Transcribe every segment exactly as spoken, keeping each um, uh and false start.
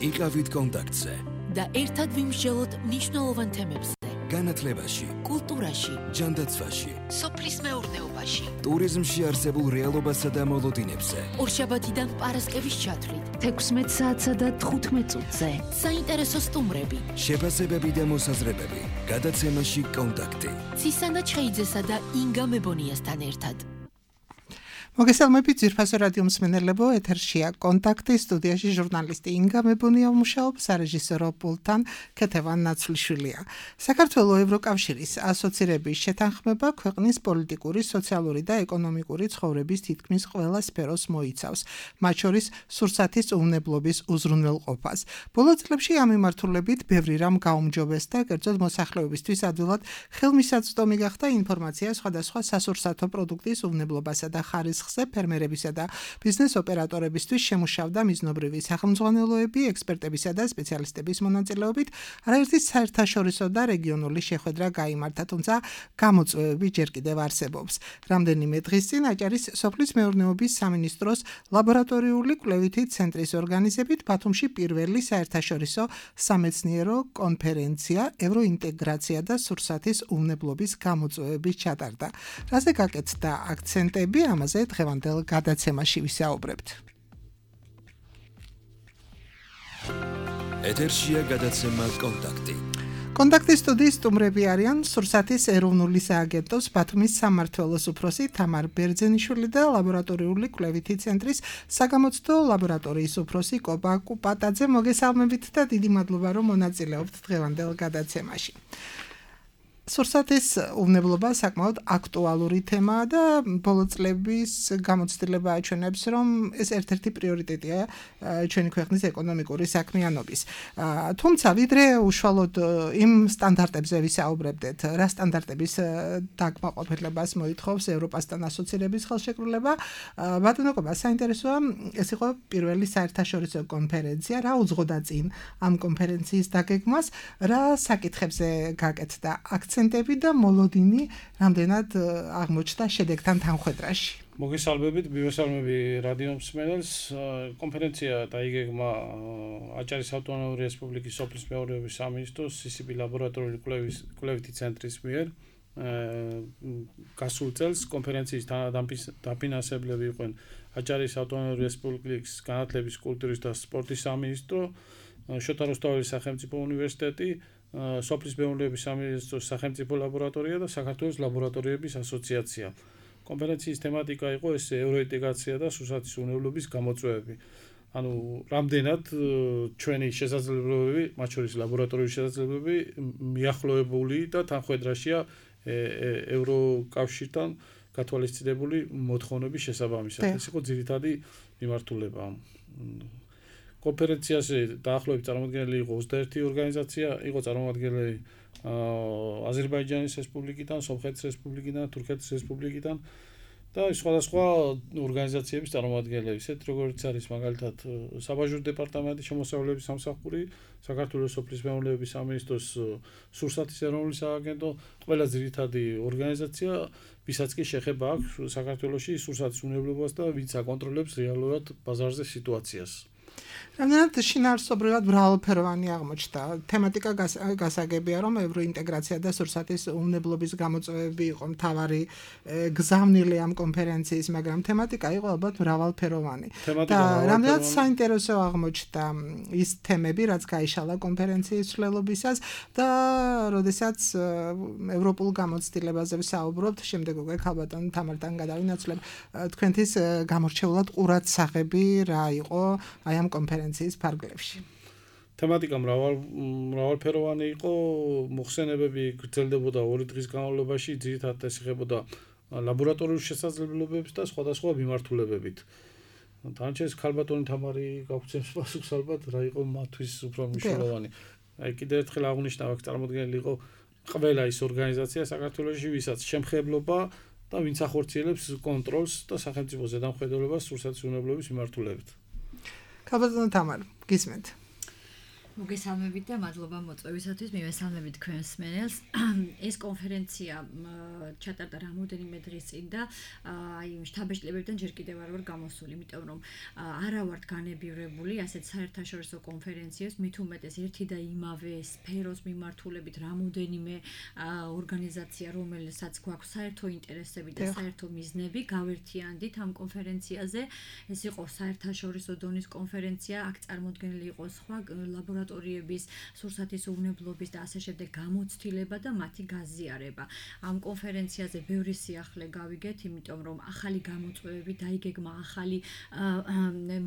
იყავით კონტაქტზე და ერთად ვიმსჯელოთ მნიშვნელოვან თემებზე. განათლებაში, კულტურაში, ჯანდაცვაში, სოფლის მეურნეობაში, ტურიზმში არსებულ რეალობასა და მოლოდინებზე. ორშაბათიდან პარასკევის ჩათვლით, თექვსმეტ საათსა და თხუთმეტ წუთზე. საინტერესო სტუმრები, შეფასებები და მოსაზრებები. გადაცემაში კონტაქტი. ცისანა ჩხეიძესა და ინგა მებონიასთან ერთად. მოგესალმებით ძვირფასო რადიო მსმენელებო, ეთერშია კონტაქტი, სტუდიაში ჟურნალისტი ინგა მებონია მუშაობს, სარეჟისორო პულტთან ქეთევან ნაცვლიშვილია. საქართველოს ევროკავშირის ასოცირების შეთანხმება ქვეყნის პოლიტიკური, სოციალური და ეკონომიკური ცხოვრების თითქმის ყველა სფეროს მოიცავს, მათ შორის სურსათის უვნებლობის უზრუნველყოფას. ბოლო წლებში ამ მიმართულებით ბევრი რამ გაუმჯობეს და კერძოდ მოსახლეობისთვის ადვილად ხელმისაწვდომი გახდა ინფორმაცია სხვადასხვა სასურსათო პროდუქტის უვნებლობასა და ხარისხს ფერმერებისა და ბიზნეს ოპერატორებისთვის შემუშავდა მიზნობრივი სახელმძღვანელოები, ექსპერტებისა და სპეციალისტების მონაწილეობით, არაერთი საერთაშორისო და რეგიონული შეხვედრა გაიმართა, თუმცა გამოწვევები ჯერ კიდევ არსებობს. რამდენიმე დღის წინ აჭარის სოფლის მეურნეობის სამინისტროს ლაბორატორიული კვლევითი ცენტრის ორგანიზებით ბათუმში პირველი საერთაშორისო სამეცნიერო კონფერენცია ევროინტეგრაცია და სურსათის უვნებლობის გამოწვევების ჩატარდა. რაზე გაკეთდა აქცენტები, ამაზე დღევანდელ გადაცემაში ვისაუბრებთ. ეთერშია გადაცემა კონტაქტი. კონტაქტის სტუდიის სტუმრები არიან სურსათის ეროვნული სააგენტოს ბათუმის სამმართველოს უფროსი თამარ ბერძენიშვილი და ლაბორატორიული კვლევითი ცენტრის საგამოცდო ლაბორატორიის უფროსი კობა კუპატაძე. მოგესალმებით და დიდი მადლობა რომ მონაწილეობთ დღევანდელ გადაცემაში. სურსათის უვნებლობა საკმაოდ აქტუალური თემაა და ბოლო წლების გამოცდილება აჩვენებს, რომ ეს ერთ-ერთი პრიორიტეტია ჩვენი ქვეყნის ეკონომიკური საქმიანობის. თუმცა ვიდრე უშუალოდ იმ სტანდარტებზე ვისაუბრებდეთ, რა სტანდარტების დაკმაყოფილებას მოითხოვს ევროპასთან ასოცირების ხელშეკრულება, ბატონო კობა, საინტერესოა, ეს იყო პირველი საერთაშორისო კონფერენცია, რა უძღოდა წინ ამ კონფერენციის დაგეგმვას, რა საკითხებზე გაკეთდა აქცენტები და მოლოდინი რამდენად აღმოჩნდა შედეგთან თანხვედრაში. მოგესალმებით, მივესალმები რადიო მსმენელს. კონფერენცია დაიგეგმა აჭარის ავტონომიური რესპუბლიკის სოფლის მეურნეობის სამინისტროს სი სი ბი ლაბორატორიული კვლევითი ცენტრის მიერ. გასულ წელს კონფერენციის დაფინანსებლები იყვნენ აჭარის ავტონომიური რესპუბლიკის განათლების, კულტურის და სპორტის სამინისტრო, შოთა რუსთაველის სახელმწიფო უნივერსიტეტი, სოფლის მეურნეობის სამინისტროს სახელმწიფო ლაბორატორია და საქართველოს ლაბორატორიების ასოციაცია. კონფერენციის თემატიკა იყო ეს ევროინტეგრაცია და სურსათის უვნებლობის გამოწვევები. ანუ რამდენად ჩვენი შესაძლებლობები, მათ შორის ლაბორატორიული შესაძლებლობები მიახლოებული და თანხვედრაშია ევროკავშირთან გათვალისწინებული მოთხოვნების შესაბამისად. ეს იყო ძირითადი მიმართულება. კონფერენციაზე დაახლოებით წარმოადგენელი იყო ოცდაერთი ორგანიზაცია, იყო წარმოადგენელი აზერბაიჯანის რესპუბლიკიდან, სომხეთის რესპუბლიკიდან, თურქეთის რესპუბლიკიდან და სხვადასხვა ორგანიზაციების წარმომადგენლები, ისეთ როგორც არის მაგალითად საბაჟური დეპარტამენტის შემოსავლების სამსახური, საქართველოს სოფლის მეურნეობის სამინისტროს სურსათის ეროვნული სააგენტო, ყველა ძირითადი ორგანიზაცია, ვისაც კი შეხება აქვს საქართველოში სურსათის უვნებლობას და ვინც აკონტროლებს რეალურად ბაზარზე სიტუაციას. რამდენად შინაარსობრივად მრავალფეროვანი აღმოჩნდა. თემატიკა გასაგებია, რომ ევროინტეგრაცია და სურსათის უვნებლობის გამოწვევები იყო მთავარი გზავნილი ამ კონფერენციის, მაგრამ თემატიკა იყო ალბათ მრავალფეროვანი. და რამდენად საინტერესო აღმოჩნდა ის თემები, რაც გაიშალა კონფერენციის ცვლილობისას და როდესაც ევროპულ გამოცდილებაზე ვსაუბრობთ, შემდეგ უკვე ქალბატონ თამართან გადავინაცვლებ თქვენთვის გამორჩეულად ყურადსაღები რა იყო აი ამ კონფერენციის ფარგლებში. თემატიკა მრავალ მრავალფეროვანი იყო, მოხსენებები გრძელდებოდა ორი დღის განმავლობაში, ძირითადად ეს ეხებოდა ლაბორატორიულ შესაძლებლობებს და სხვადასხვა მიმართულებებით. დანარჩენს ქალბატონი თამარი გაგვცემს პასუხს ალბათ, რა იყო მათთვის უფრო მნიშვნელოვანი. აი კიდევ ერთხელ აღნიშნა, აქ წარმოდგენილი იყო ყველა ის ორგანიზაცია საქართველოში, ვისაც შემხებლობა და ვინც ახორციელებს კონტროლს და სახელმწიფო ზედამხედველობას სურსათის უვნებლობის მიმართულებით. ქალბატონო თამარ, გისმენთ. მოგესალმებით და მადლობა მოწვევისათვის. მივესალმებით თქვენს მსმენელს. ეს კონფერენცია ჩატარდა რამოდენიმე დღის წინ და აი შტაბ-ბეჭდილებიდან ჯერ კიდევ არ ვარ გამოსული, იმიტომ რომ არა ვართ განებივრებული ასეთ საერთაშორისო კონფერენციებს, მით უმეტეს ერთი და იმავე სფეროს მიმართულებით რამოდენიმე ორგანიზაცია, რომელსაც გვაქვს საერთო ინტერესები და საერთო მიზნები, გავერთიანდით ამ კონფერენციაზე. ეს იყო საერთაშორისო დონის კონფერენცია, აქ წარმოდგენილი იყო სხვა ლაბორატორიების, სურსათის უვნებლობის და ასე შემდეგ გამოცდილება და მათი გაზიარება. ამ კონფერენციაზე ბევრი სიახლე გავიგეთ, იმიტომ რომ ახალი გამოწვევები დაიგეგმა, ახალი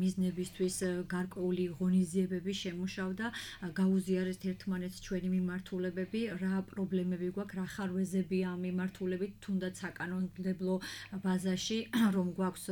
მიზნებისთვის გარკვეული ღონისძიებები შემუშავდა, გაუზიარეს ერთმანეთს ჩვენი მიმართულებები, რა პრობლემები გვაქვს, რა ხარვეზებია ამ მიმართულებით, თუნდაც საკანონმდებლო ბაზაში, რომ გვაქვს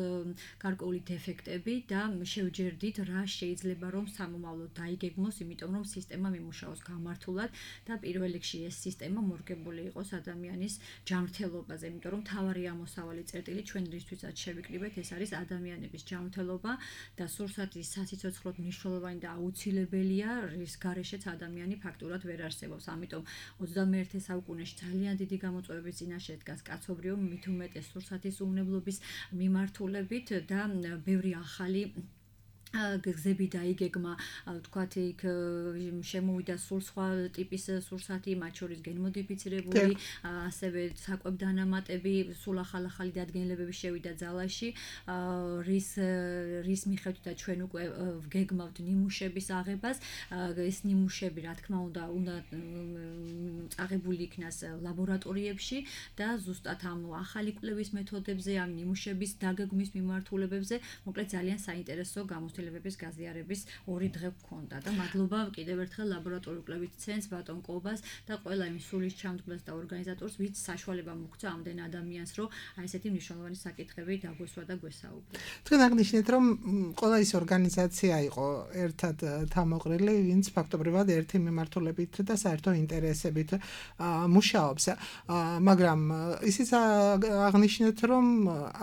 გარკვეული დეფექტები და შევჯერდით, რა შეიძლება რომ სამომავლოდ დაიგეგმოს, იმიტომ რომ სისტემა მიმუშაოს გამართულად და პირველ რიგში ეს სისტემა მორგებული იყოს ადამიანის ჯანმრთელობაზე, იმიტომ რომ თავარი ამოსავალი წერტილი ჩვენ რისთვისაც შევიკრიბეთ, ეს არის ადამიანების ჯანმრთელობა და სურსათის სასიცოცხლოდ მნიშვნელოვანი და აუცილებელია, რის გარეშეც ადამიანი ფაქტურად ვერ არსებობს. ამიტომ ოცდამეერთე საუკუნეში ძალიან დიდი გამოწვევების წინაშე დგას კაცობრიობა, მით უმეტეს სურსათის უვნებლობის მიმართულებით და ბევრი ახალი გზები დაიგეგმა, თქვათ იქ შემოვიდა სულ სხვა ტიპის სურსათი, მათ შორის გენმოდიფიცირებული, ასევე საკვებ-დანამატები, სულ ახალ-ახალი დადგენილებები შევიდა ძალაში, რის რის მიხედვითაც ჩვენ უკვე ვგეგმავთ ნიმუშების აღებას, ეს ნიმუშები, რა თქმა უნდა, უნდა წაღებული იქნას ლაბორატორიებში და ზუსტად ამ ახალი კვლევის მეთოდებზე, ამ ნიმუშების დაგეგმვის მიმართულებებზე, მოკლედ ძალიან საინტერესო გამოცდილებების გაზიარების ორი დღე გქონდა და მადლობა კიდევ ერთხელ ლაბორატორიულ კვლევით ცენტრს, ბატონ კობას და ყველა იმ სულის ჩამდგმელს და ორგანიზატორს, ვინც საშუალება მოგვცა ამდენ ადამიანს, რომ აი ესეთი მნიშვნელოვანი საკითხები დაგვესვა და გვესაუბრა. თქვენ აღნიშნეთ, რომ ყველა ის ორგანიზაცია იყო ერთად თამოყრილი, ვინც ფაქტობრივად ერთი მიმართულებით და საერთო ინტერესებით მუშაობს. მაგრამ ისიც აღნიშნეთ, რომ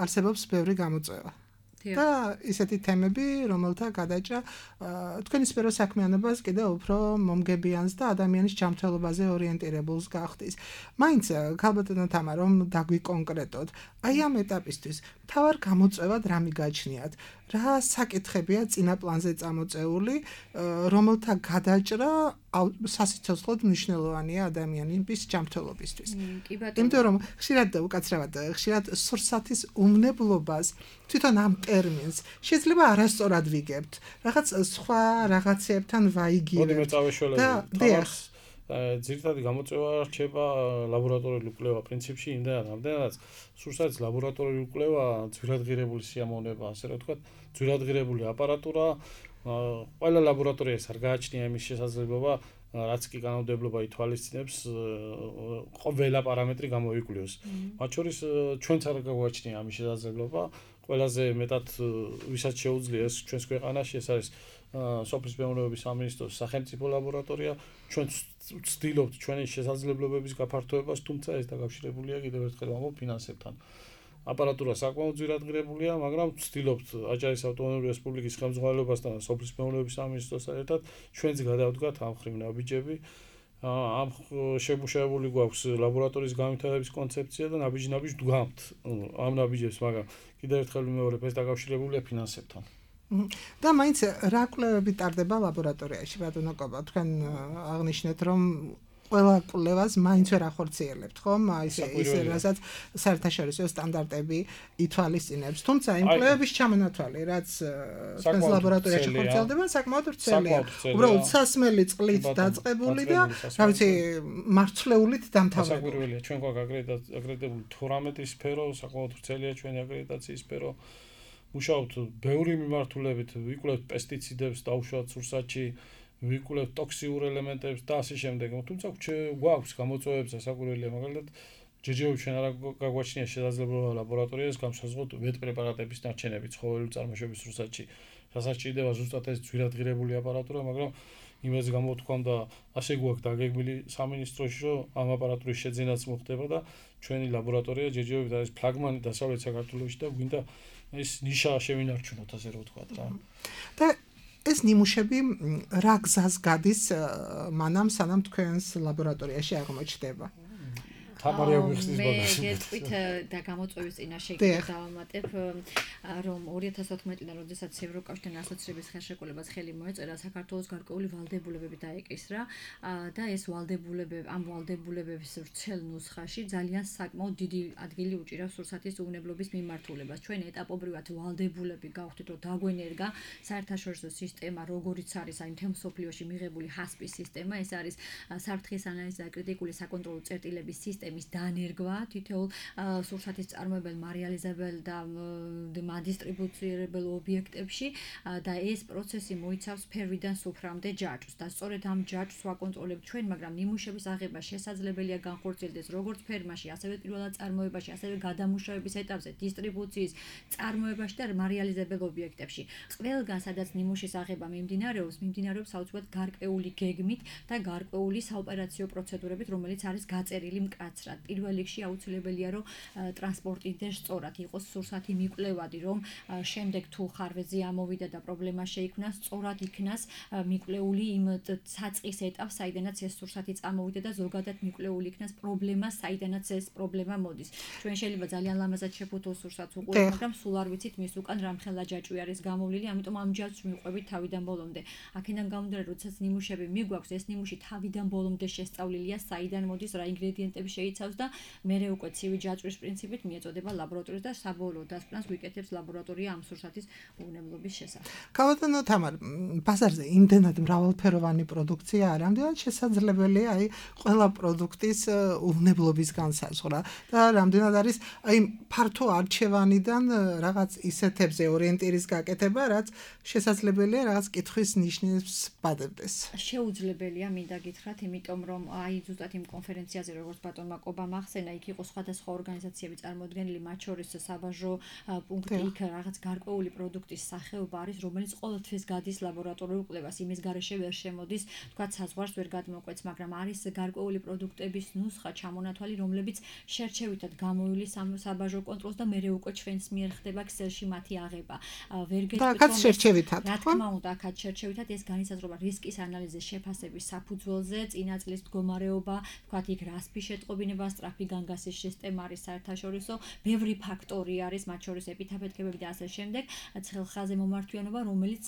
არსებობს ბევრი გამოწვევა. და ისეთი თემები, რომელთა გადაჭრა თქვენი სფერო საქმიანობას კიდევ უფრო მომგებიანს და ადამიანის ჯანმრთელობაზე ორიენტირებულს გახდის. მაინც ქალბატონო თამა, რომ დაგვიკონკრეტოთ, აი ამ ეტაპისთვის მთავარ გამოწვევად რა მიგაჩნიათ? რა საკითხებია წინა პლანზე წამოწეული, რომელთა გადაჭრა სასიცოცხლოდ მნიშვნელოვანია ადამიანის ჯანმრთელობისთვის. იმიტომ რომ ხშირად უკაცრავად, ხშირად სურსათის უვნებლობას თვითონ ამ ტერმინს შეიძლება არასწორად ვიგებთ. რაღაც სხვა რაღაცებთან ვაიგივებთ. მოდი მე წავეშველები. ძირითადი გამოწვევა რჩება ლაბორატორიული კვლევა პრინციპში, იმდენად ამდენადაც სურსათის ლაბორატორიული კვლევა ძვირადღირებული სიამოვნება, ასე რომ ვთქვათ, ძვირადღირებული აპარატურა, ყველა ლაბორატორიას არ გააჩნია იმის შესაძლებლობა, რაც კი კანონმდებლობა ითვალისწინებს, ყველა პარამეტრი გამოიკვლიოს. მათ შორის ჩვენც არ გაგვაჩნია ამის შესაძლებლობა, ყველაზე მეტად ვისაც შეუძლია ეს ჩვენს ქვეყანაში, ეს არის სოფლის მეურნეობის სამინისტროს სახელმწიფო ლაბორატორია, ჩვენ ვცდილობთ ჩვენი შესაძლებლობების გაფართოებას, თუმცა ეს დაკავშირებულია კიდევ ერთხელ ვამბობ ფინანსებთან. აპარატურა საკმაოდ ძვირადღირებულია, მაგრამ ვცდილობთ აჭარის ავტონომიური რესპუბლიკის ხელმძღვანელობასთან და სოფლის მეურნეობის სამინისტროსთან ერთად ჩვენც გადავდგათ ამ ხრივ ნაბიჯები. ამ შემუშავებული გვაქვს ლაბორატორიის განვითარების კონცეფცია და ნაბიჯ-ნაბიჯ ვდგამთ ამ ნაბიჯებს, მაგრამ კიდევ ერთხელ ვიმეორებ, ეს დაკავშირებულია ფინანსებთან. და მაინც რა კვლევები ტარდება ლაბორატორიაში, ბატონო კობა, თქვენ აღნიშნეთ, რომ ყველა კვლევას მაინც ვერ ახორციელებთ, ხომ? აი ეს რასაც საერთაშორისო სტანდარტები ითვალისწინებს. თუმცა იმ კვლევების ჩამონათვალი, რაც თქვენს ლაბორატორიაში ხორციელდება, საკმაოდ ვრცელია. უბრალოდ სასმელი წყლით დაწყებული და, რა ვიცი, მარცვლეულით დამთავრებული. საკვირველია, ჩვენ გვაქვს აკრედიტებული თორმეტი სფერო, საკმაოდ ვრცელია ჩვენი აკრედიტაციის სფერო. მუშაობთ ბევრი მიმართულებით, ვიკვლევთ პესტიციდებს დაუშვათ სურსათში, ვიკვლევთ ტოქსიურ ელემენტებს და ასე შემდეგ. თუმცა გვაქვს გამოწვევებსა საკვირველია, მაგალითად, ჯერჯერობით ჩვენ არ გაგვაჩნია შესაძლებლობა ლაბორატორიას გამოსაზღვროთ ვეტ პრეპარატების ნარჩენები ცხოველური წარმოშობის სურსათში. რასაც ჭირდება ზუსტად ეს ძვირადღირებული აპარატურა, მაგრამ იმას გამოთქვამ და ასე გვაქვს დაგეგმილი სამინისტროში, რომ ამ აპარატურის შეძენაც მოხდება და ჩვენი ლაბორატორია ჯერჯერობით არის ფლაგმანი დასავლეთ საქართველოში და გვინდა ეს ნიშა შევინარჩუნოთ, ასე რომ ვთქვათ რა. და ეს ნიმუშები რა გზას გადის მანამ სანამ თქვენს ლაბორატორიაში აღმოჩნდება? თამარი აგვიხსნის ბოლოს. მე გეტყვით და გამოწვევის წინაშე დავამატებ, რომ ორი ათას ოთხმეტიდან, როდესაც ევროკავშირთან ასოცირების ხელშეკრულებას ხელი მოეწერა, საქართველოს გარკვეული ვალდებულებები დაეკისრა და ეს ვალდებულებები, ამ ვალდებულებების ვრცელ ნუსხაში ძალიან საკმაოდ დიდი ადგილი უჭირავს სურსათის უვნებლობის მიმართულებას. ჩვენ ეტაპობრივად ვალდებულები გავხდით, რომ დაგვენერგა საერთაშორისო სისტემა, როგორიც არის აი მთელ მსოფლიოში მიღებული ჰასპის სისტემა, ეს არის საფრთხის ანალიზი და კრიტიკული საკონტროლო წერტილების სისტემა მის დანერგვა თითოეულ სურსათის წარმოებელ, მარიალიზებელ და მადისტრიბუცირებელ ობიექტებში და ეს პროცესი მოიცავს ფერვიდან სუფრამდე ჯაჭვს და სწორედ ამ ჯაჭვს ვაკონტროლებთ ჩვენ, მაგრამ ნიმუშების აღება შესაძლებელია განხორციელდეს როგორც ფერმაში, ასევე პირველად წარმოებაში, ასევე გადამუშავების ეტაპზე, დისტრიბუციის წარმოებაში და მარიალიზებელ ობიექტებში. ყველგან, სადაც ნიმუშის აღება მიმდინარეობს, მიმდინარეობს საოცრად გარკვეული გეგმით და გარკვეული საოპერაციო პროცედურებით, რომელიც არის გაწერილი მკაცრად. პირველ რიგში აუცილებელია, რომ ტრანსპორტირდეს სწორად, იყოს სურსათი მიკვლევადი, რომ შემდეგ თუ ხარვეზე ამოვიდა და პრობლემა შეიქმნა, სწორად იქნას მიკვლეული იმ საწყის ეტაპს, საიდანაც ეს სურსათი წამოვიდა და ზოგადად მიკვლეული იქნას პრობლემა, საიდანაც ეს პრობლემა მოდის. ჩვენ შეიძლება ძალიან ლამაზად შეფუთოს სურსათს უყურებთ, მაგრამ სულ არ ვიცით მის უკან რამხელა ჯაჭვი არის გამოვლილი, ამიტომ ამ ჯაჭვს მივყვებით თავიდან ბოლომდე. აქედან გამომდინარე, როდესაც ნიმუშები მიგვაქვს, ეს ნიმუში თავიდან ბოლომდე შესწავლილია, საიდან მოდის, რა ინგრედიენტები შეიცავს და მერე უკვე ცივი ჯაჭვის პრინციპით მიეწოდება ლაბორატორია და საბოლოო დასკვნას ვიკეთებს ლაბორატორია ამ სურსათის უვნებლობის შესახებ. გავადანო თამარ, ბაზარზე იმდენად მრავალფეროვანი პროდუქცია არის, რამდენად შესაძლებელია აი ყველა პროდუქტის უვნებლობის განსაზღვრა და რამდენად არის აი ფართო არჩევანიდან რაღაც ისეთებზე ორიენტირის გაკეთება, რაც შესაძლებელია რაღაც კითხვის ნიშნებს ბადებდეს. შეუძლებელია მინდა გითხრათ, იმიტომ რომ აი ზუსტად იმ კონფერენციაზე როგორც ბატონმა კობამ ახსენა, იქ იყო სხვადასხვა ორგანიზაციები წარმოდგენილი, მათ შორის საბაჟო პუნქტი, იქ რაღაც გარკვეული პროდუქტის სახეობა არის, რომელიც ყოველთვის გადის ლაბორატორიულ კვლევას, იმის გარეშე ვერ შემოდის, თქვა საზღვარს ვერ გადმოკვეთს, მაგრამ არის გარკვეული პროდუქტების ნუსხა ჩამონათვალი, რომლებიც შერჩევითად გამოივლის საბაჟო კონტროლს და მერე უკვე ჩვენს მიერ ხდება ქსელში მათი აღება. ვერ გეტყვით, რომ შერჩევითად, რა თქმა უნდა, აქაც შერჩევითად ეს განისაზღვრება რისკის ანალიზის შეფასების საფუძველზე, წინა წლის მდგომარეობა, თქვა იქ რასპი შეტყობინება, სწრაფი განგასის სისტემა არის საერთაშორისო, ბევრი ფაქტორი არის, მათ შორის ეპითაფეთქებები და ასე შემდეგ, ცხელხაზე მომართვიანობა, რომელიც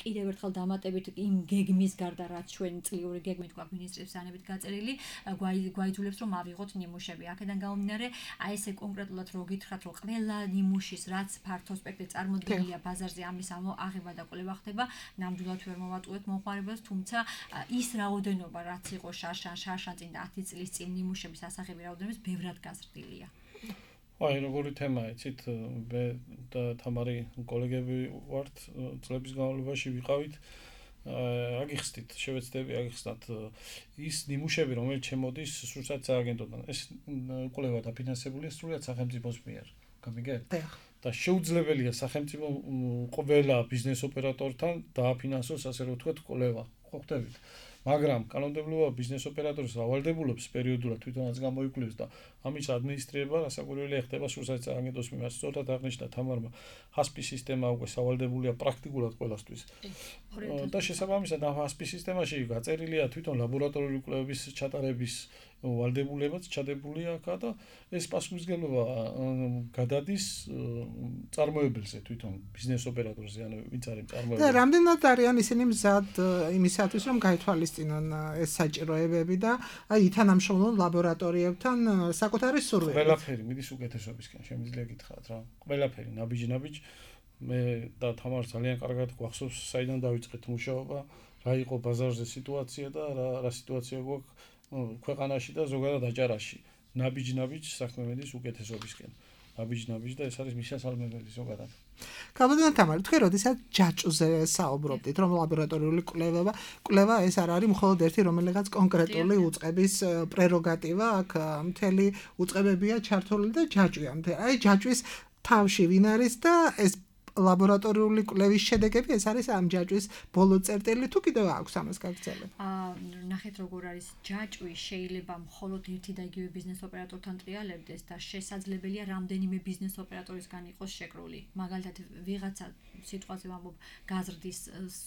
კიდევ ერთხელ დამატებით იმ გეგმის გარდა, რაც ჩვენ წლიური გეგმით თქვა მინისტრების ანებით გაწერილი, გვაიძულებს რომ ავიღოთ ნიმუშები. აქედან გამომდინარე, აი ესე კონკრეტულად რო გითხრათ, რომ ყველა ნიმუშის რაც ფართო სპექტრი წარმოდგენილია ბაზარზე, ამის აღება და კვლევა ხდება, ნამდვილად ვერ მოვატყუეთ მომხმარებელს, თუმცა ის რაოდენობა, რაც იყო შარშან, შარშან წინ და ათი წლის წინ ნიმუშების ასახები რაოდენობის ბევრად გაზრდილია. აი, როგორი თემაა, იცით, მე და თამარი კოლეგები ვართ, წლების განმავლობაში ვიყავით, აგიხსნით, შევეცდები აგიხსნათ ის ნიმუშები, რომელიც შემოდის სურსათის სააგენტოდან. ეს კვლევა დაფინანსებულია სრულად სახელმწიფოს მიერ. გამიგეთ? და შეუძლებელია სახელმწიფო ყველა ბიზნეს ოპერატორთან დააფინანსოს, ასე რომ ვთქვათ, კვლევა. ხო ხდებით? მაგრამ კანონმდებლობა ბიზნეს ოპერატორს ავალდებულებს პერიოდულად თვითონაც გამოიკვლევს და ამის ადმინისტრირება რასაკვირველია ხდება სურსათის სააგენტოს მიმართ. სწორად აღნიშნა თამარმა, ჰასპის სისტემა უკვე სავალდებულია პრაქტიკულად ყველასთვის. და შესაბამისად ამ ჰასპის სისტემაში გაწერილია თვითონ ლაბორატორიული კვლევების ჩატარების ვალდებულებაც ჩადებული აქა და ეს პასუხისმგებლობა გადადის წარმოებელზე თვითონ ბიზნეს ოპერატორზე, ანუ ვინც არის წარმოებელი. და რამდენად არიან ისინი მზად იმისათვის, რომ გაითვალისწინონ ეს საჭიროებები და აი ითანამშრომლონ ლაბორატორიებთან საკუთარი სურვილით. ყველაფერი მიდის უკეთესობისკენ, შემიძლია გითხრათ რა. ყველაფერი ნაბიჯ-ნაბიჯ. მე და თამარ ძალიან კარგად გვახსოვს, საიდან დავიწყეთ მუშაობა, რა იყო ბაზარზე სიტუაცია და რა რა სიტუაცია გვაქვს ქვეყანაში და ზოგადად აჭარაში. ნაბიჯ-ნაბიჯ საქმე მიდის უკეთესობისკენ. ნაბიჯ-ნაბიჯ და ეს არის მისასალმებელი ზოგადად. გავადანო თამარ, თქვენ როდესაც ჯაჭვზე საუბრობდით, რომ ლაბორატორიული კვლევა, კვლევა ეს არ არის მხოლოდ ერთი რომელიღაც კონკრეტული უწყების პრეროგატივა, აქ მთელი უწყებებია ჩართული და ჯაჭვია. აი ჯაჭვის თავში ვინ არის და ეს ლაბორატორიული კვლევის შედეგები, ეს არის ამ ჯაჭვის ბოლო წერტილი, თუ კიდევ აქვს ამას გაგრძელება? აა ნახეთ როგორ არის ჯაჭვი შეიძლება მხოლოდ ერთი და იგივე ბიზნეს ოპერატორთან ტრიალებდეს და შესაძლებელია რამდენიმე ბიზნეს ოპერატორისგან იყოს შეკრული. მაგალითად, ვიღაცა სიტყვაზე ვამბობ გაზრდის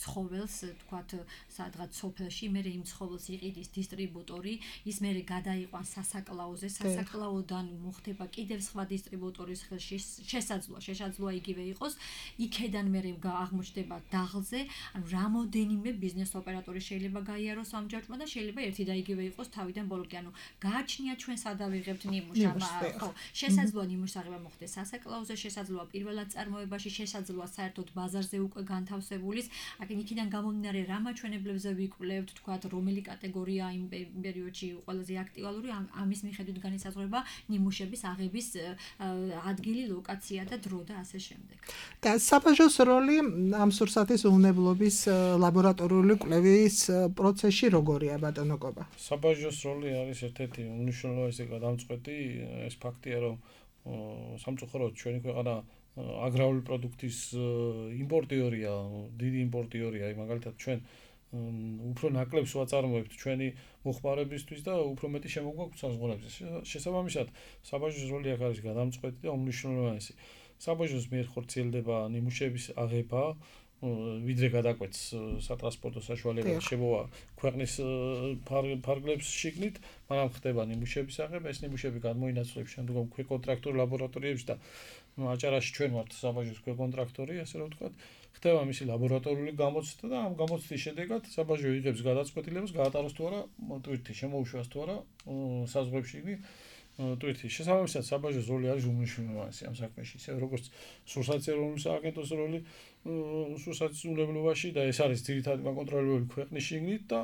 ცხოველს, თქვათ, სადღაც სოფელში, მე იმ ცხოველს იყიდის დისტრიბუტორი, ის მე გადაიყვანს სასაკლაოზე, სასაკლაოდან მოხდება კიდევ სხვა დისტრიბუტორის ხელში შესაძლოა, შესაძლოა იგივე იყოს. იქედან მე აღმოჩნდება დაღლზე, ანუ რამოდენიმე ბიზნეს ოპერატორი შეიძლება გაიაროს ამ ჯაჭვმა და შეიძლება ერთი და იგივე იყოს თავიდან ბოლომდე. ანუ გააჩნია ჩვენ სადავიღებთ ნიმუშს, ხო, შესაძლოა ნიმუშს აღება მოხდეს სასაკლაოზე, შესაძლოა პირველად წარმოებაში, შესაძლოა საერთოდ ბაზარზე უკვე განთავსებულის. აქ იქიდან გამომდინარე რა მაჩვენებლებზე ვიკვლევთ, თქვათ, რომელი კატეგორია იმ პერიოდში ყველაზე აქტუალური, ამის მიხედვით განისაზღვრება ნიმუშების აღების ადგილი, ლოკაცია და დრო და ასე შემდეგ. და საბაჟოს როლი ამ სურსათის უვნებლობის ლაბორატორიული კვლევის პროცესში როგორია, ბატონო კობა? საბაჟოს როლი არის ერთ-ერთი უმნიშვნელოვანესი გადამწყვეტი, ეს ფაქტია, რომ სამწუხაროდ ჩვენი ქვეყანა აგრარული პროდუქტის იმპორტიორია, დიდი იმპორტიორია, მაგალითად ჩვენ უფრო ნაკლებს ვაწარმოებთ ჩვენი მოხმარებისთვის და უფრო მეტი შემოგვაქვს საზღვრებზე. შესაბამისად, საბაჟოს როლი აქ არის გადამწყვეტი და უმნიშვნელოვანესი. საბაჟოს მიერ ხორციელდება ნიმუშების აღება, ვიდრე გადაკვეთს სატრანსპორტო საშუალებას შემოვა ქვეყნის ფარგლებს შიგნით, მაგრამ ხდება ნიმუშების აღება, ეს ნიმუშები გადმოინაცვლებს შემდგომ ქვეკონტრაქტორ ლაბორატორიებში და აჭარაში ჩვენ ვართ საბაჟოს ქვეკონტრაქტორი, ასე რომ ვთქვათ, ხდება მისი ლაბორატორიული გამოცდა და ამ გამოცდის შედეგად საბაჟო იღებს გადაწყვეტილებას, გაატაროს თუ არა ტვირთი, შემოუშვას თუ არა საზღვრებში ტვირთი. შესაბამისად, საბაჟოს როლი არის უმნიშვნელოვანესი ამ საქმეში, ისე როგორც სურსათის ეროვნული სააგენტოს როლი სურსათის უვნებლობაში და ეს არის ძირითადი მაკონტროლებელი ქვეყნის შიგნით და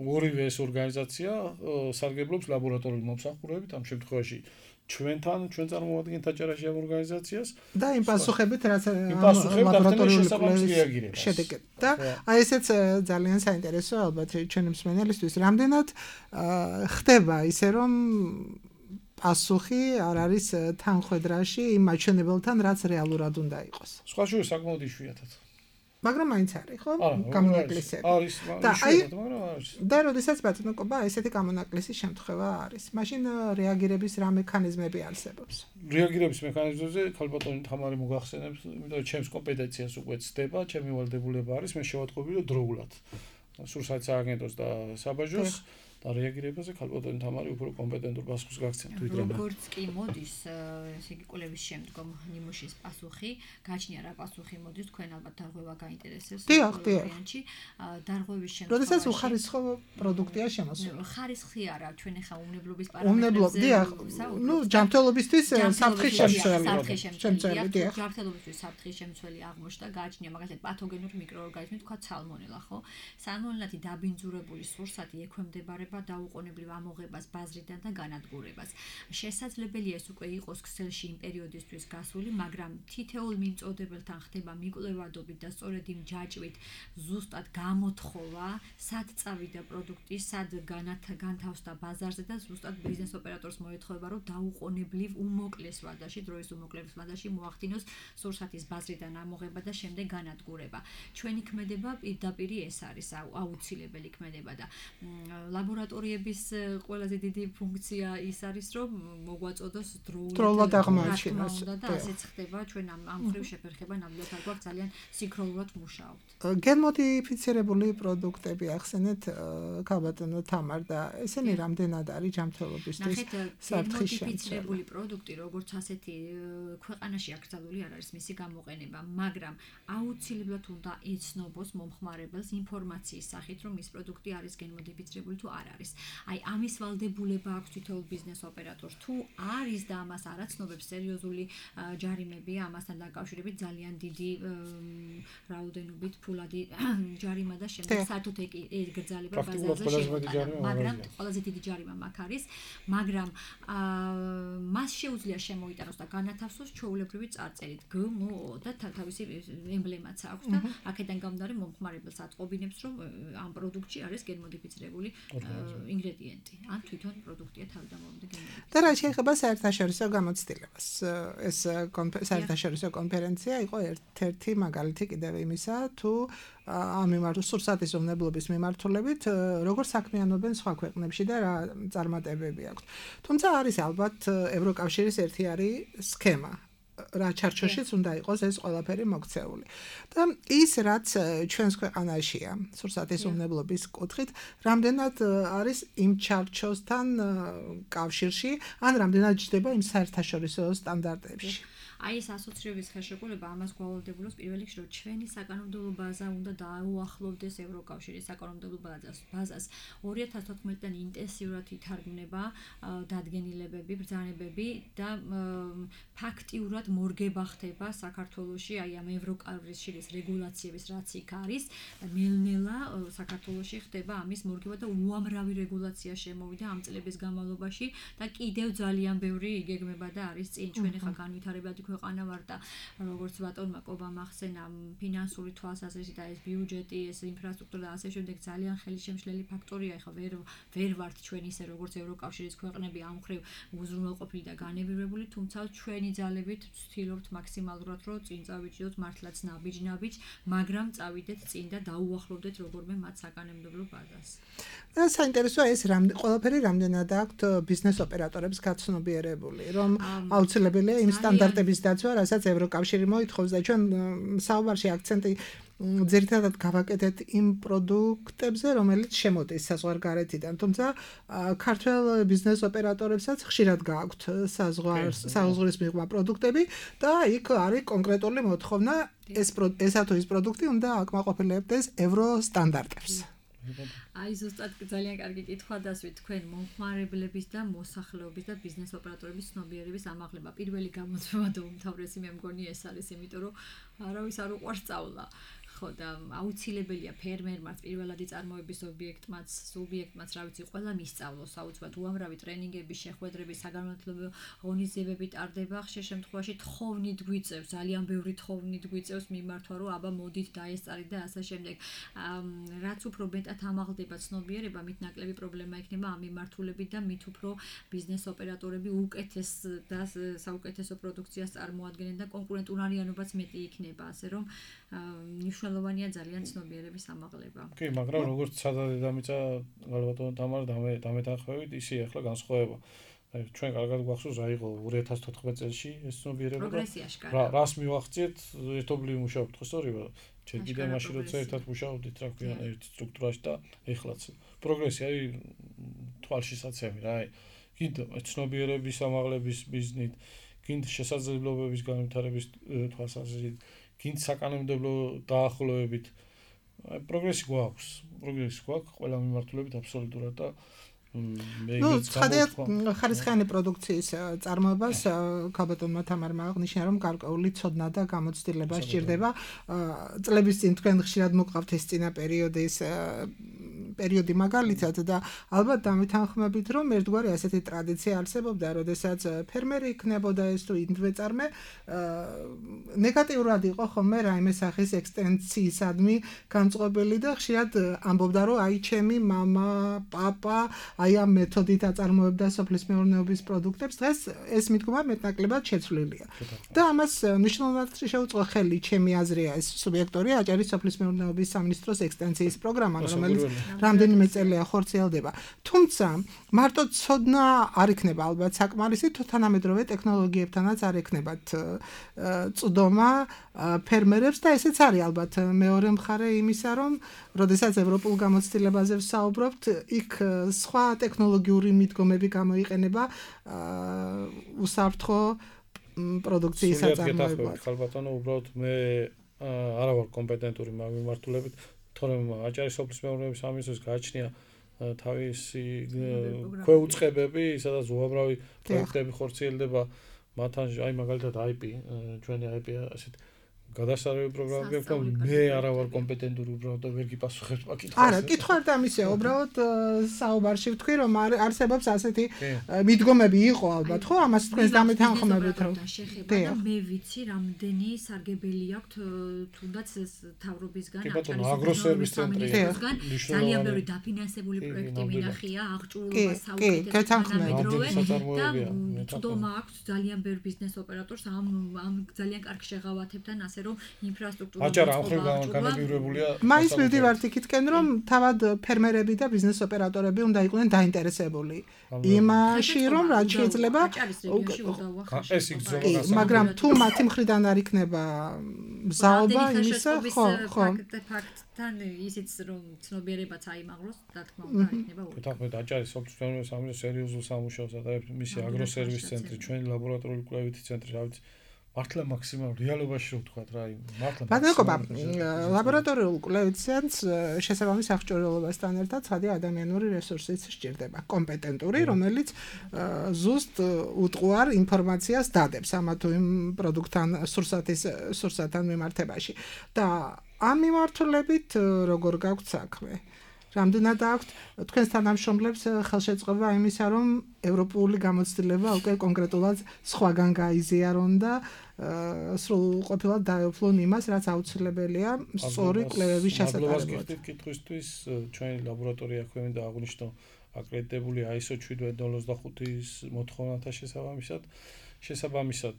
ორივე ეს ორგანიზაცია სარგებლობს ლაბორატორიული მომსახურებით, ამ შემთხვევაში ჩვენთან, ჩვენ წარმოვადგენთ აჭარაში ამ ორგანიზაციას და იმ პასუხებით, რაც ლაბორატორიული კვლევის შედეგად. და აი ესეც ძალიან საინტერესოა ალბათ ჩვენი მსმენელისთვის, რამდენად ხდება ისე რომ პასუხი არ არის თანხwebdriverში იმ მაჩვენებელთან, რაც რეალურად უნდა იყოს. სხვა შორის საკმაოდ იშვიათად. მაგრამ მაინც არის, ხო? გამონაკლისები. არის, იშვიათად, მაგრამ არის. და როდესაც ბატონო კობა ესეთი გამონაკლისის შემთხვევა არის, მაშინ რეაგირების რა მექანიზმები არსებობს? რეაგირების მექანიზმებზე ქალბატონი თამარი მოგახსენებს, იმიტომ რომ ჩემს კომპეტენციას უკვე ცდება, ჩემი ვალდებულება არის, მე შევატყობი რომ დროულად სურსათის სააგენტოს და საბაჟოს და რეაგირებაზე ქალბატონი თამარი უფრო კომპეტენტურ პასუხს გაგცემთ ვიდრე მე. როგორც კი მოდის, ესე იგი კვლევის შემდგომ ნიმუშის პასუხი, გაჩნია რა პასუხი მოდის, თქვენ ალბათ დარღვევა გაინტერესებს ვარიანტში. დარღვევის შემდგომ როდესაც უხარისხო პროდუქტია შემოსული. ხარისხი არა, ჩვენ ახლა უმნებლობის პარამეტრებზე. ნუ ჯანმრთელობისთვის საფრთხის შემცველი. შემცველი, დიახ. ჯანმრთელობისთვის საფრთხის შემცველი აღმოჩნდა, გაჩნია მაგალითად პათოგენური მიკროორგანიზმი, თქვა სალმონელა, ხო? სალმონელათი დაბინძურებული სურსათი ექვემდებარება დაუყოვნებლივ ამოღებას ბაზრიდან და განადგურებას. შესაძლებელია ეს უკვე იყოს ქსელში იმ პერიოდისთვის გასული, მაგრამ თითოეულ მიმწოდებელთან ხდება მიკვლევადობით და სწორედ იმ ჯაჭვით ზუსტად გამოთხოვა, სად წავიდა პროდუქტი, სად განთავსდა ბაზარზე და ზუსტად ბიზნეს ოპერატორს მოეთხოვება, რომ დაუყოვნებლივ უმოკლეს ვადაში, დროის უმოკლეს ვადაში მოახდინოს სურსათის ბაზრიდან ამოღება და შემდეგ განადგურება. ჩვენი ქმედება პირდაპირ ეს არის აუცილებელი ქმედება და ლაბორატორიების ყველაზე დიდი ფუნქცია ის არის, რომ მოგვაწოდოს დროულად აღმოაჩინოს და ასეც ხდება, ჩვენ ამ ამ ხრივ შეფერხება ნამდვილად არ გვაქვს ძალიან სინქრონულად მუშაობთ. გენმოდიფიცირებული პროდუქტები ახსენეთ ქალბატონო თამარ და ესენი რამდენად არის ჯანმრთელობისთვის საფრთხის შემცველი? გენმოდიფიცირებული პროდუქტი როგორც ასეთი ქვეყანაში აკრძალული არ არის მისი გამოყენება, მაგრამ აუცილებლად უნდა ეცნობოს მომხმარებელს ინფორმაციის სახით, რომ ის პროდუქტი არის გენმოდიფიცირებული თუ არ არის. აი ამის ვალდებულება აქვს თითოეულ ბიზნეს ოპერატორს. თუ არის და ამას არ აცნობებს, სერიოზული ჯარიმებია ამასთან დაკავშირებით, ძალიან დიდი რაოდენობით ფულადი ჯარიმა და შემდეგ საერთოდ ეკრძალება ბაზარზე შემოტანა. მაგრამ ყველაზე დიდი ჯარიმა მაგ არის, მაგრამ მას შეუძლია შემოიტანოს და განათავსოს ჩვეულებრივი წარწერით გმო და თავისი ემბლემაც აქვს და აქედან გამომდინარე მომხმარებელს აწყობინებს, რომ ამ პროდუქტში არის გენმოდიფიცირებული ინგრედიენტი ან თვითონ პროდუქტია თავდამოწმე გენერირებული. და რა შეიძლება საერთაშორისო გამოცდილებას ეს საერთაშორისო კონფერენცია იყო ერთ-ერთი მაგალითი კიდევ იმისა თუ ამ მიმართ სურსათის უმნებლობის მიმართულებით როგორ საქმიანობენ სხვა ქვეყნებში და რა წარმატებები აქვს. თუმცა არის ალბათ ევროკავშირის ერთი არის სქემა რა ჩარჩოშიც უნდა იყოს ეს ყველაფერი მოქცეული. და ის რაც ჩვენს ქვეყანაშია, სურსათის უმნებლობის კუთხით, რამდენად არის იმ ჩარჩოსთან კავშირში, ან რამდენად ჯდება იმ საერთაშორისო სტანდარტებში. აი ეს ასოცირების ხელშეკრულება ამას გვალვდებულობს პირველ რიგში, რომ ჩვენი საკანონმდებლო ბაზა უნდა დაუახლოვდეს ევროკავშირის საკანონმდებლო ბაზას. ორი ათას თოთხმეტიდან ინტენსიურად ითარგმნება დადგენილებები, ბრძანებები და ფაქტიურად მორგება ხდება საქართველოში აი ამ ევროკავშირის რეგულაციების რაც იქ არის, ნელ-ნელა საქართველოში ხდება ამის მორგება და უამრავი რეგულაცია შემოვიდა ამ წლების განმავლობაში და კიდევ ძალიან ბევრი იგეგმება და არის წინ ჩვენ ხა განვითარებადი ქვეყანა ვარ და როგორც ბატონმა კობამ ახსენა ფინანსური თვალსაზრისით და ეს ბიუჯეტი, ეს ინფრასტრუქტურა და ასე შემდეგ ძალიან ხელისშემშლელი ფაქტორია. ეხლა ვერ ვერ ვართ ჩვენ ისე როგორც ევროკავშირის ქვეყნები ამ მხრივ უზრუნველყოფილი და განებირებული, თუმცა ჩვენი ძალებით ვცდილობთ მაქსიმალურად რომ წინ წავიჭიდოთ მართლაც ნაბიჯ-ნაბიჯ, მაგრამ წავიდეთ წინ და დაუახლოვდეთ როგორმე მათ საკანონმდებლო ბაზას. და საინტერესოა ეს ყველაფერი რამდენად აქვთ ბიზნეს ოპერატორებს გაცნობიერებული, რომ აუცილებელია იმ სტანდარტების დაცვა, რასაც ევროკავშირი მოითხოვს და ჩვენ საუბარში აქცენტი ძირითადად გავაკეთეთ იმ პროდუქტებზე, რომელიც შემოდის საზღვარგარეთიდან, თუმცა ქართველ ბიზნეს ოპერატორებსაც ხშირად გააქვთ საზღვრის მიღმა პროდუქტები და იქ არის კონკრეტული მოთხოვნა ეს ესა თუ ის პროდუქტი უნდა აკმაყოფილებდეს ევრო სტანდარტებს. აი ზუსტად ძალიან კარგი კითხვა დასვით თქვენ მომხმარებლების და მოსახლეობის და ბიზნეს ოპერატორების ცნობიერების ამაღლება. პირველი გამოწვევა და უმთავრესი მე მგონი ეს არის, იმიტომ რომ არავის არ უყვარს სწავლა. ხო და აუცილებელია ფერმერმაც, პირველადი წარმოების ობიექტმაც, სუბიექტმაც, რა ვიცი, ყველა მისწავლოს საოცრად უამრავი ტრენინგები, შეხვედრები, საგანმანათლებლო ღონისძიებები ტარდება, ხშირ შემთხვევაში თხოვნით გვიწევს, ძალიან ბევრი თხოვნით გვიწევს მიმართვა, რომ აბა მოდით დაესწარით და ასე შემდეგ. რაც უფრო მეტად ამაღლდება ცნობიერება, მით ნაკლები პრობლემა იქნება ამ მიმართულებით და მით უფრო ბიზნეს ოპერატორები უკეთეს და საუკეთესო პროდუქციას წარმოადგენენ და კონკურენტუნარიანობაც მეტი იქნება, ასე რომ მნიშვნელოვანია ძალიან ცნობიერების ამაღლება. კი, მაგრამ როგორც სადა დედამიწა გალბატონო თამარ დამეთანხმებით, ისე ახლა განსხვავება. აი ჩვენ კარგად გვახსოვს რა იყო ორი ათას თოთხმეტ წელში ეს ცნობიერება და რას მივახციეთ ერთობლივ მუშაობთ, ხო სწორია? ჯერ კიდევ მაშინ როცა ერთად მუშაობდით, რა ქვია, ერთ სტრუქტურაში და ეხლაც პროგრესი არის თვალშისაცემი რა. აი კიდე ცნობიერების ამაღლების ბიზნით, კიდე შესაძლებლობების განვითარების თვალსაზრისით გინც საკანონმდებლო დაახლოებით პროგრესი გვაქვს, პროგრესი გვაქვს ყველა მიმართულებით აბსოლუტურად და ნუ ცხადია ხარისხიანი პროდუქციის წარმოებას ქალბატონმა თამარმა აღნიშნა რომ გარკვეული ცოდნა და გამოცდილება სჭირდება. წლების წინ თქვენ ხშირად მოყავთ ეს წინა პერიოდის პერიოდი მაგალითად და ალბათ დამეთანხმებით რომ ერთგვარი ასეთი ტრადიცია არსებობდა, როდესაც ფერმერი იქნებოდა ეს თუ ინდვეწარმე ნეგატიურად იყო ხოლმე რაიმე სახის ექსტენციისადმი განწყობილი და ხშირად ამბობდა რომ აი ჩემი მამა, პაპა აი ამ მეთოდით აწარმოებდა სოფლის მეურნეობის პროდუქტებს, დღეს ეს მიდგომა მეტნაკლებად შეცვლილია. და ამას მნიშვნელოვნად შეუწყო ხელი, ჩემი აზრია, ეს სუბიექტორი აჭარის სოფლის მეურნეობის სამინისტროს ექსტენციის პროგრამა, რომელიც რამდენიმე წელია ხორციელდება. თუმცა მარტო ცოდნა არ იქნება ალბათ საკმარისი, თუ თანამედროვე ტექნოლოგიებთანაც არ ექნებათ წვდომა ფერმერებს და ესეც არის ალბათ მეორე მხარე იმისა, რომ როდესაც ევროპულ გამოცდილებაზე ვსაუბრობთ, იქ სხვა ტექნოლოგიური მიდგომები გამოიყენება უსაფრთხო პროდუქციის აწარმოებლად. ხალბატონო, უბრალოდ მე არა ვარ კომპეტენტური მაგ მიმართულებით, თორემ აჭარის სოფლის მეურნეობის სამინისტროს გააჩნია თავისი ქვეუწყებები, სადაც უამრავი პროექტები ხორციელდება, მათთან აი მაგალითად აი პი, ჩვენი აი პი ასეთ გადასარევი პროგრამები აქვს, მე არა ვარ კომპეტენტური უბრალოდ ვერ გიპასუხებ პაკეტს. არა, კითხვა არ დამისეა, უბრალოდ საუბარში ვთქვი, რომ არსებობს ასეთი მიდგომები იყო ალბათ, ხო? ამას თქვენს დამეთანხმებით რომ შეხება და მე ვიცი, რამდენი სარგებელი აქვთ თუნდაც თავრობისგან, აგროსერვის ცენტრიდან ძალიან ბევრი დაფინანსებული პროექტი მინახია, აღჭურვილობა საუკეთესო თანამედროვე და თვითონ აქვს ძალიან ბევრ ბიზნეს ოპერატორს ამ ამ ძალიან კარგ შეღავათებთან, ასე რომ ინფრასტრუქტურა აჭარა ახლა განაპირობებულია. მაინც მივდივართ იქითკენ, რომ თავად ფერმერები და ბიზნეს ოპერატორები უნდა იყვნენ დაინტერესებული იმაში, რომ რაც შეიძლება ეს იგზნობა, მაგრამ თუ მათი მხრიდან არ იქნება მზაობა იმისა, ხო, ხო. ფაქტთან ისიც რომ ცნობიერებაც აიმაღლოს, რა თქმა უნდა, იქნება უბრალოდ. თახმეთ აჭარის სოფლის სამუშაო სერიოზულ სამუშაოს და მისი აგროსერვის ცენტრი, ჩვენი ლაბორატორიული კვლევითი ცენტრი, რა ვიცი, მართლა მაქსიმალურ რეალობაში რო ვთქვა რა, მართლა ბატონობა, ლაბორატორიულ კვლევით ცენტრს შესაბამის აღჭურვილობასთან ერთად ცხადი ადამიანური რესურსიც სჭირდება, კომპეტენტური, რომელიც ზუსტ უტყუარ ინფორმაციას დადებს ამა თუ იმ პროდუქტთან სურსათის სურსათთან მიმართებაში და ამ მიმართულებით როგორ გაქვთ საქმე? რამდენად აქვთ თქვენს თანამშრომლებს ხელშეწყობა იმისა, რომ ევროპული გამოცდილება უკვე კონკრეტულად სხვაგან გაიზიარონ და სრულყოფილად დაეუფლონ იმას, რაც აუცილებელია სწორი კვლევების შესატარებლად. კითხვისთვის ჩვენი ლაბორატორია ქვემდა აღნიშნო აკრედიტებული I S O შვიდ ოცდახუთის მოთხოვნათა შესაბამისად, შესაბამისად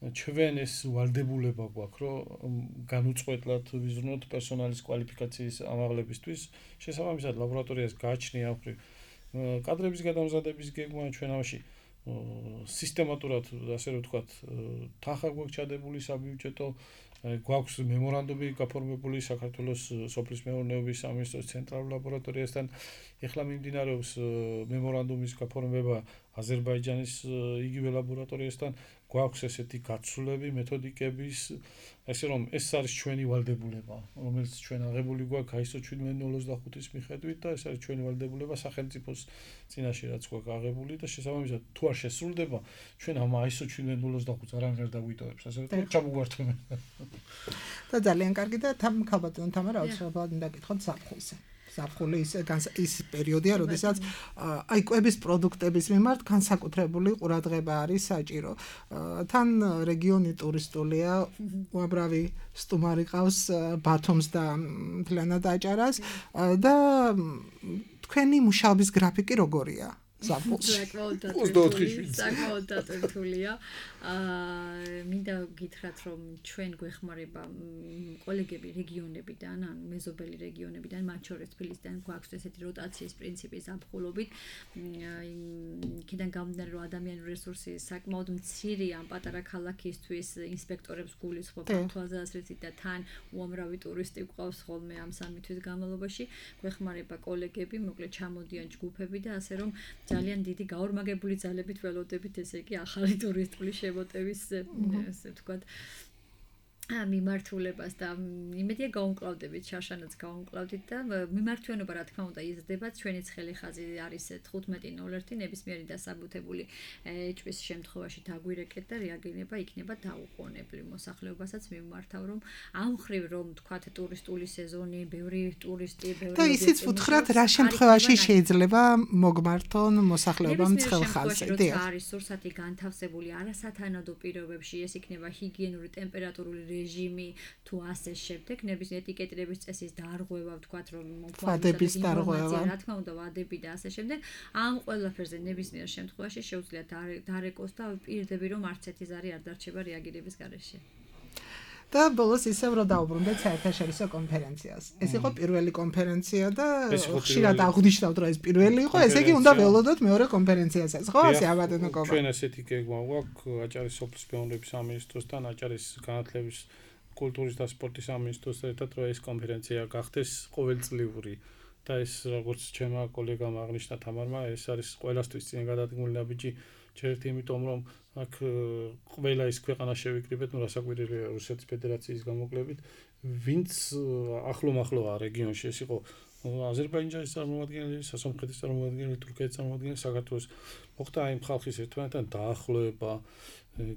ჩვენ ეს ვალდებულება გვაქვს, რომ განუწყვეტლად ვიზრუნოთ პერსონალის კვალიფიკაციის ამაღლებისთვის, შესაბამისად ლაბორატორიას გააჩნია ახრი კადრების გადამზადების გეგმა ჩვენ ამაში სისტემატურად, ასე რომ ვთქვათ, თანხა გვაქვს ჩადებული საბიუჯეტო, გვაქვს მემორანდუმი გაფორმებული საქართველოს სოფლის მეურნეობის სამინისტროს ცენტრალურ ლაბორატორიასთან. ეხლა მიმდინარეობს მემორანდუმის გაფორმება აზერბაიჯანის იგივე ლაბორატორიასთან. გვაქვს ესეთი გაცვლები, მეთოდიკების, ესე რომ ეს არის ჩვენი ვალდებულება, რომელიც ჩვენ აღებული გვაქვს I S O შვიდ ოცდახუთის მიხედვით და ეს არის ჩვენი ვალდებულება სახელმწიფოს წინაშე რაც გვაქვს აღებული და შესაბამისად თუ არ შესრულდება, ჩვენ ამ I S O შვიდ ოცდახუთს არანაირ დაგვიტოვებს, ასე რომ ჩამოგვართვენ. და ძალიან კარგი და თამ ქალბატონ თამარ აუცილებლად უნდა გითხოთ საფხულზე. საფხული ის ის პერიოდია, როდესაც აი კვების პროდუქტების მიმართ განსაკუთრებული ყურადღება არის საჭირო. თან რეგიონი ტურისტულია, უამრავი სტუმარი ყავს ბათუმს და მთლიანად აჭარას და თქვენი მუშაობის გრაფიკი როგორია? საკმაოდ დატვირთულია. აა მინდა გითხრათ, რომ ჩვენ გვეხმარება კოლეგები რეგიონებიდან, ან მეზობელი რეგიონებიდან, მათ შორის თბილისიდან გვაქვს ესეთი როტაციის პრინციპი ზაფხულობით. იქიდან გამომდინარე, რომ ადამიანური რესურსი საკმაოდ მცირეა ამ პატარა ქალაქისთვის, ინსპექტორებს გულისხმობთ თვალსაზრისით და თან უამრავი ტურისტი გვყავს ხოლმე ამ სამი თვის განმავლობაში. გვეხმარება კოლეგები, მოკლედ ჩამოდიან ჯგუფები და ასე რომ ძალიან დიდი გაორმაგებული ძალებით ველოდებით, ესე იგი ახალი ტურისტული შემოტევის, ესე ვთქვათ, მიმართულებას და იმედია გაუმკლავდებით, შარშანაც გაუმკლავდით და მიმართვიანობა რა თქმა უნდა იზრდება, ჩვენი ცხელი ხაზი არის თხუთმეტი ნოლ ერთი, ნებისმიერი დასაბუთებული ეჭვის შემთხვევაში დაგვირეკეთ და რეაგირება იქნება დაუყოვნებლივ. მოსახლეობასაც მიმართავ, რომ ამ ხრივ რომ თქვათ ტურისტული სეზონი, ბევრი ტურისტი, ბევრი და ისიც ვუთხრათ, რა შემთხვევაში შეიძლება მოგმართონ მოსახლეობამ ცხელ ხაზზე. არის სურსათი განთავსებული არასათანადო პირობებში, ეს იქნება ჰიგიენური, ტემპერატურული რეჟიმი თუ ასე შემდეგ, ნებისმიერ ეტიკეტირების წესის დარღვევა, ვთქვათ, რომ ვადების დარღვევა, რა თქმა უნდა, ვადები და ასე შემდეგ, ამ ყველაფერზე ნებისმიერ შემთხვევაში შეუძლია დარეკოს და პირდები, რომ არც ერთი ზარი არ დარჩება რეაგირების გარეშე. და ბოლოს ისევ რომ დაუბრუნდეთ საერთაშორისო კონფერენციას. ეს იყო პირველი კონფერენცია და ხშირად აღნიშნავთ, რომ ეს პირველი იყო, ესე იგი უნდა ველოდოთ მეორე კონფერენციასაც, ხო? ასე აბატონოკობა. ჩვენ ესეთი გეგმა გვაქვს აჭარის სოფლის მეურნეობის სამინისტროსთან, აჭარის განათლების, კულტურის და სპორტის სამინისტროსთან ერთად, რომ ეს კონფერენცია გახდეს ყოველწლიური. და ეს როგორც ჩემმა კოლეგამ აღნიშნა თამარმა, ეს არის ყველასთვის წინ გადადგმული ნაბიჯი, ჩერტი, იმიტომ რომ აქ ყველა ის ქვეყანა შევიკრიბეთ, ну, რასაკვირველია რუსეთის ფედერაციის გამოკლებით, ვინც ახლო-მახლოა რეგიონში, ეს იყო აზერბაიჯანის წარმომადგენელი, სასამხეთის წარმომადგენელი, თურქეთის წარმომადგენელი, საქართველოს მოხდა აი ხალხის ერთმანეთთან დაახლოება,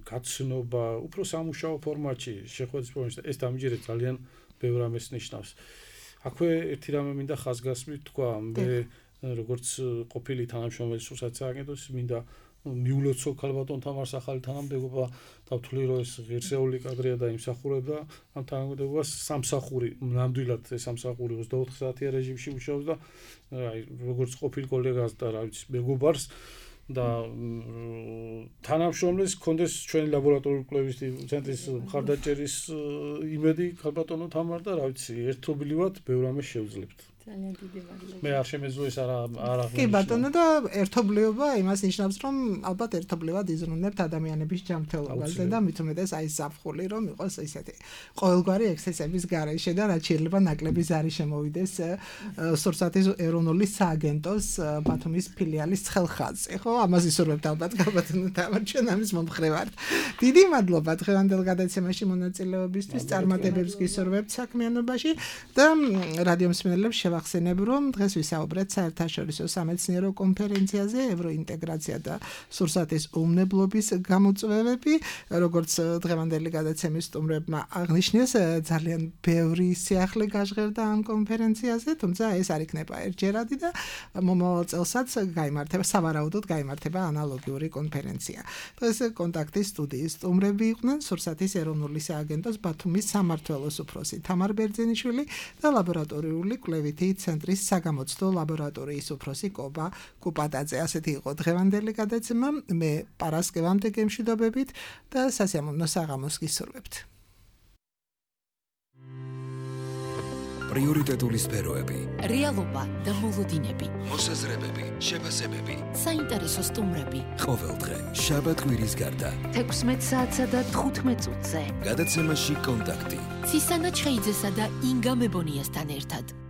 გაცნობა, უფრო სამუშაო ფორმატში, შეხვედრის ფორმატში. ეს დამჯერეთ ძალიან ბევრ რამეს ნიშნავს. აქვე ერთი რამე მინდა ხაზგასმით თქვა, მე როგორც ყოფილი თანამშრომელი სურსათის სააგენტოს მინდა მიულოცო ქალბატონ თამარს ახალი თანამდებობა დავთვლი რომ ეს ღირსეული კადრია და იმსახურებდა ამ თანამდებობას სამსახური ნამდვილად ეს სამსახური ოცდაოთხ საათიან რეჟიმში მუშაობს და აი როგორც ყოფილი კოლეგას და რა ვიცი მეგობარს და თანამშრომლის კონდეს ჩვენი ლაბორატორიული კვლევის ცენტრის მხარდაჭერის იმედი ქალბატონო თამარ და რა ვიცი ერთობლივად ბევრ რამეს შევძლებთ. ძალიან დიდი მადლობა. მე არ შემეძლო ეს არა არა კი ბატონო და ერთობლიობა იმას ნიშნავს რომ ალბათ ერთობლივად იზრუნებთ ადამიანების ჯანმრთელობაზე და მით უმეტეს აი საფხული რომ იყოს ესეთი ყოველგვარი ექსცესების გარეშე და რაც შეიძლება ნაკლები ზარი შემოვიდეს სურსათის ეროვნული სააგენტოს ბათუმის ფილიალის ცხელხაზზე ხო ამას ისურვებთ ალბათ ბატონო თამარ ჩვენ ამის მომხრე ვართ. დიდი მადლობა დღევანდელ გადაცემაში მონაწილეობისთვის წარმატებებს გისურვებთ საქმიანობაში და რადიო მსმენელებს ახსენებ რომ დღეს ვისაუბრეთ საერთაშორისო სამეცნიერო კონფერენციაზე ევროინტეგრაცია და სურსათის უმნებლობის გამოწვევები როგორც დღევანდელი გადაცემის სტუმრებმა აღნიშნეს ძალიან ბევრი სიახლე გაჟღერდა ამ კონფერენციაზე თუმცა ეს არ იქნება ერთჯერადი და მომავალ წელსაც გაიმართება სავარაუდოდ გაიმართება ანალოგიური კონფერენცია დღეს კონტაქტის სტუდიის სტუმრები იყვნენ სურსათის ეროვნული სააგენტოს ბათუმის სამმართველოს უფროსი თამარ ბერძენიშვილი და ლაბორატორიული კვლევითი ცენტრის საგამოცდო ლაბორატორიის უფროსი კობა კუპატაძე. ასეთი იყო დღევანდელი გადაცემა. მე პარასკევამდე გემშვიდობებით და სასიამოვნო საღამოს გისურვებთ. პრიორიტეტული სფეროები, რეალობა და მოლოდინები, მოსაზრებები, შეფასებები, საინტერესო სტუმრები. ყოველდღე შაბათ-კვირის გარდა თექვსმეტ საათსა და თხუთმეტ წუთზე. გადაცემაში კონტაქტი. ცისანა ჩხეიძესა და ინგა მებონიასთან ერთად.